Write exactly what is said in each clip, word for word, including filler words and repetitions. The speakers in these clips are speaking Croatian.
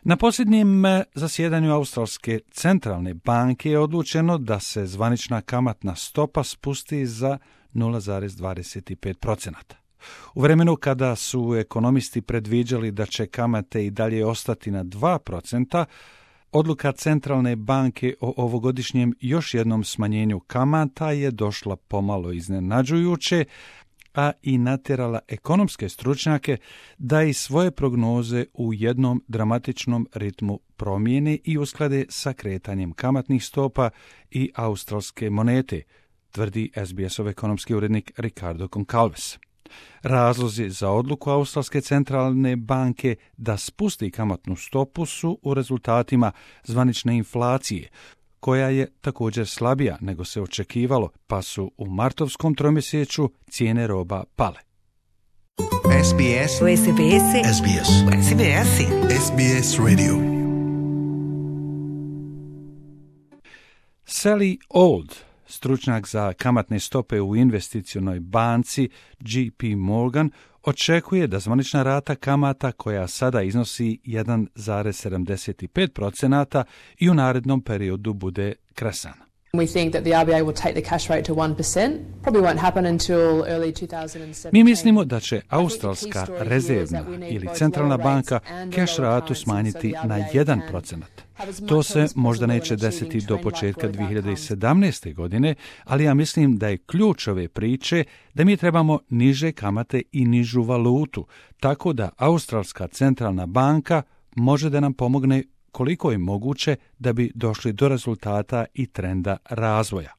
Na posljednjem zasjedanju Australske centralne banke je odlučeno da se zvanična kamatna stopa spusti za nula zarez dvadeset pet posto. U vremenu kada su ekonomisti predviđali da će kamate i dalje ostati na dva procenta, odluka centralne banke o ovogodišnjem još jednom smanjenju kamata je došla pomalo iznenađujuće, a i natjerala ekonomske stručnjake da i svoje prognoze u jednom dramatičnom ritmu promijene i usklade sa kretanjem kamatnih stopa i australske monete, tvrdi S B S-ov ekonomski urednik Ricardo Goncalves. Razlozi za odluku Australske centralne banke da spusti kamatnu stopu su u rezultatima zvanične inflacije, koja je također slabija nego se očekivalo, pa su u martovskom tromjesečju cijene roba pale. S B S S B S S B S S B S S B S Radio. Sally Old, stručnjak za kamatne stope u investicionoj banci J P Morgan, očekuje da zvanična rata kamata, koja sada iznosi jedan zarez sedamdeset pet posto, i u narednom periodu bude kresana. We think that the R B A will take the cash rate to one percent. Probably won't happen until early two thousand seventeen. Mi mislimo da će Australska rezervna ili centralna banka cash ratu smanjiti na jedan procent. To se možda neće desiti do početka dvije hiljade sedamnaeste. godine, ali ja mislim da je ključ ove priče da mi trebamo niže kamate i nižu valutu, tako da Australska centralna banka može da nam pomogne koliko je moguće da bi došli do rezultata i trenda razvoja.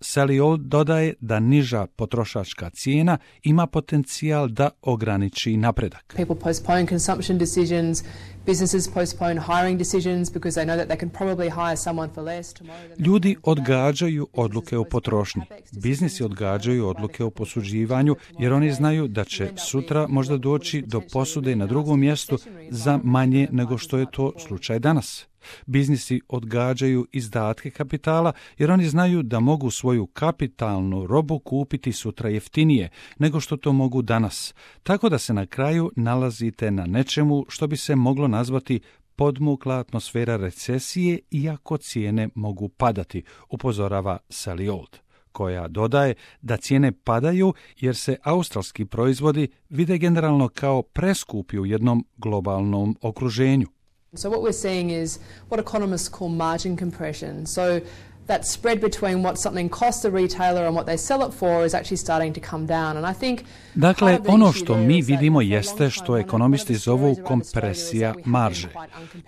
Sally Old dodaje da niža potrošačka cijena ima potencijal da ograniči napredak. People postpone consumption decisions, businesses postpone hiring decisions because they know that they can probably hire someone for less tomorrow. Ljudi odgađaju odluke o potrošnji. Biznisi odgađaju odluke o posuđivanju jer oni znaju da će sutra možda doći do posude na drugom mjestu za manje nego što je to slučaj danas. Biznisi odgađaju izdatke kapitala jer oni znaju da mogu svoju kapitalnu robu kupiti sutra jeftinije nego što to mogu danas, tako da se na kraju nalazite na nečemu što bi se moglo nazvati podmukla atmosfera recesije, iako cijene mogu padati, upozorava Sally Old, koja dodaje da cijene padaju jer se australski proizvodi vide generalno kao preskupi u jednom globalnom okruženju. So what we're seeing is what economists call margin compression. So that spread between what something costs the retailer and what they sell it for is actually starting to come down. And I think Dakle, ono što mi vidimo jeste što ekonomisti zovu kompresija marže.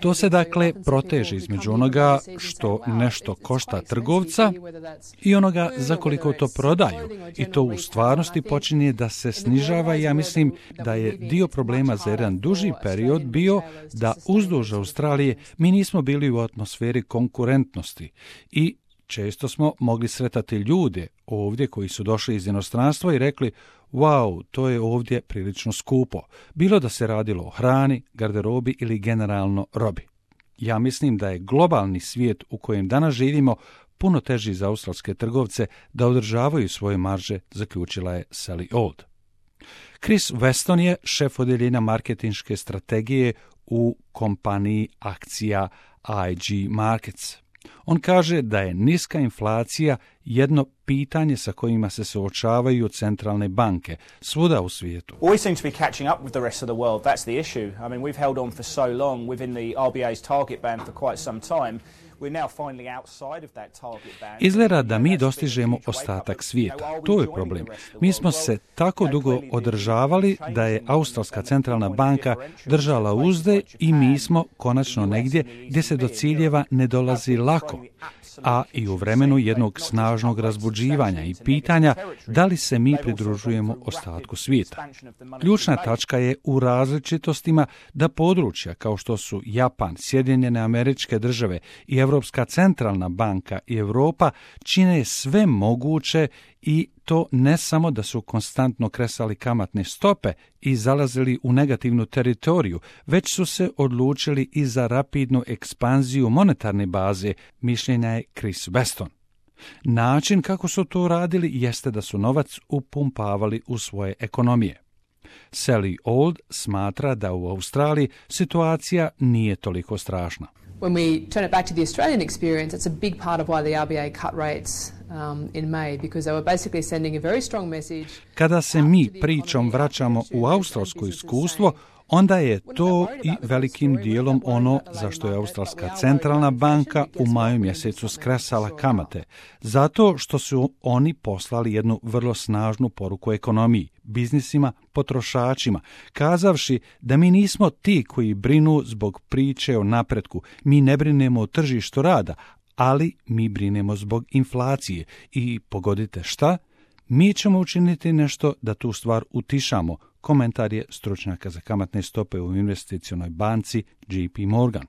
To se dakle proteže između onoga što nešto košta trgovca i onoga za koliko to prodaju. I to u stvarnosti počinje da se snižava i ja mislim da je dio problema za jedan duži period bio da uzduž Australije mi nismo bili u atmosferi konkurentnosti i često smo mogli sretati ljude ovdje koji su došli iz inostranstva i rekli wow, to je ovdje prilično skupo, bilo da se radilo o hrani, garderobi ili generalno robi. Ja mislim da je globalni svijet u kojem danas živimo puno teži za australske trgovce da održavaju svoje marže, zaključila je Sally Old. Chris Weston je šef odjeljenja marketinške strategije u kompaniji akcija I G Markets. On kaže da je niska inflacija jedno pitanje sa kojima se suočavaju centralne banke svuda u svijetu. We seem to be catching up with the rest of the world. That's the issue. I mean, we've held on for so long within the R B A's target band for quite some time. Izgleda da mi dostižemo ostatak svijeta. To je problem. Mi smo se tako dugo održavali da je Australska centralna banka držala uzde i mi smo konačno negdje gdje se do ciljeva ne dolazi lako, a i u vremenu jednog snažnog razbuđivanja i pitanja da li se mi pridružujemo ostatku svijeta. Ključna tačka je u različitostima da područja kao što su Japan, Sjedinjene Američke Države i Europska centralna banka i Europa čine sve moguće i to ne samo da su konstantno kresali kamatne stope i zalazili u negativnu teritoriju, već su se odlučili i za rapidnu ekspanziju monetarne baze, mišljenja je Chris Weston. Način kako su to radili jeste da su novac upumpavali u svoje ekonomije. Sally Old smatra da u Australiji situacija nije toliko strašna. When we turn it back to the Australian experience, it's a big part of why the R B A cut rates um, in May, because they were basically sending a very strong message. Kada se mi pričom vraćamo u australsko iskustvo, onda je to i velikim dijelom ono za što je Australska centralna banka u maju mjesecu skresala kamate, zato što su oni poslali jednu vrlo snažnu poruku ekonomiji, biznisima, potrošačima, kazavši da mi nismo ti koji brinu zbog priče o napretku, mi ne brinemo o tržištu rada, ali mi brinemo zbog inflacije i pogodite šta? Mi ćemo učiniti nešto da tu stvar utišamo, komentar je stručnjaka za kamatne stope u investicionoj banci J P Morgan.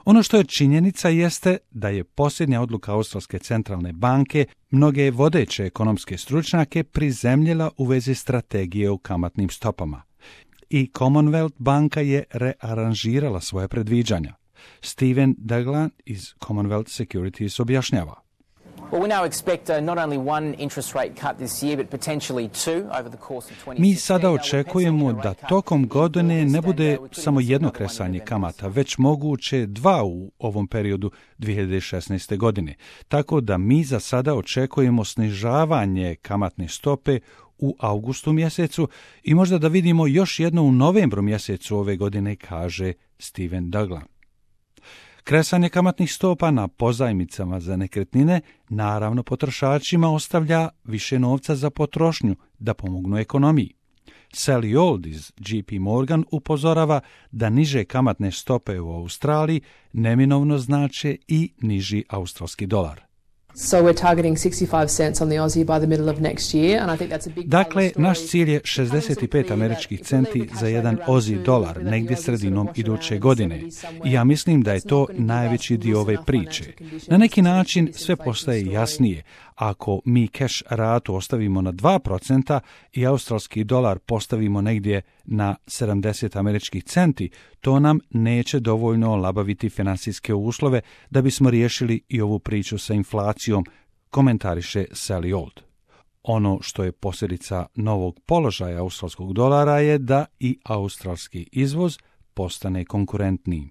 Ono što je činjenica jeste da je posljednja odluka Australske centralne banke mnoge vodeće ekonomske stručnjake prizemljila u vezi strategije u kamatnim stopama. I Commonwealth banka je rearanžirala svoje predviđanja. Steven Daglan iz Commonwealth Securities objašnjava. Mi sada očekujemo da tokom godine ne bude samo jedno kresanje kamata, već moguće dva u ovom periodu dvije hiljade šesnaeste. godine. Tako da mi za sada očekujemo snižavanje kamatne stope u avgustu mjesecu i možda da vidimo još jedno u novembru mjesecu ove godine, kaže Steven Daglan. Kresanje kamatnih stopa na pozajmicama za nekretnine naravno potrošačima ostavlja više novca za potrošnju da pomognu ekonomiji. Sally Old iz J P Morgan upozorava da niže kamatne stope u Australiji neminovno znače i niži australski dolar. So we're targeting sixty-five cents on the Aussie by the middle of next year, and I think that's a big Dakle, naš cilj je šezdeset pet američkih centi za jedan Aussie dolar negdje sredinom iduće godine. I ja mislim da je to najveći dio ove priče. Na neki način sve postaje jasnije. Ako mi cash ratu ostavimo na dva procenta i australski dolar postavimo negdje na sedamdeset američkih centi, to nam neće dovoljno olabaviti financijske uslove da bismo riješili i ovu priču sa inflacijom, komentariše Sally Old. Ono što je posljedica novog položaja australskog dolara je da i australski izvoz postane konkurentniji.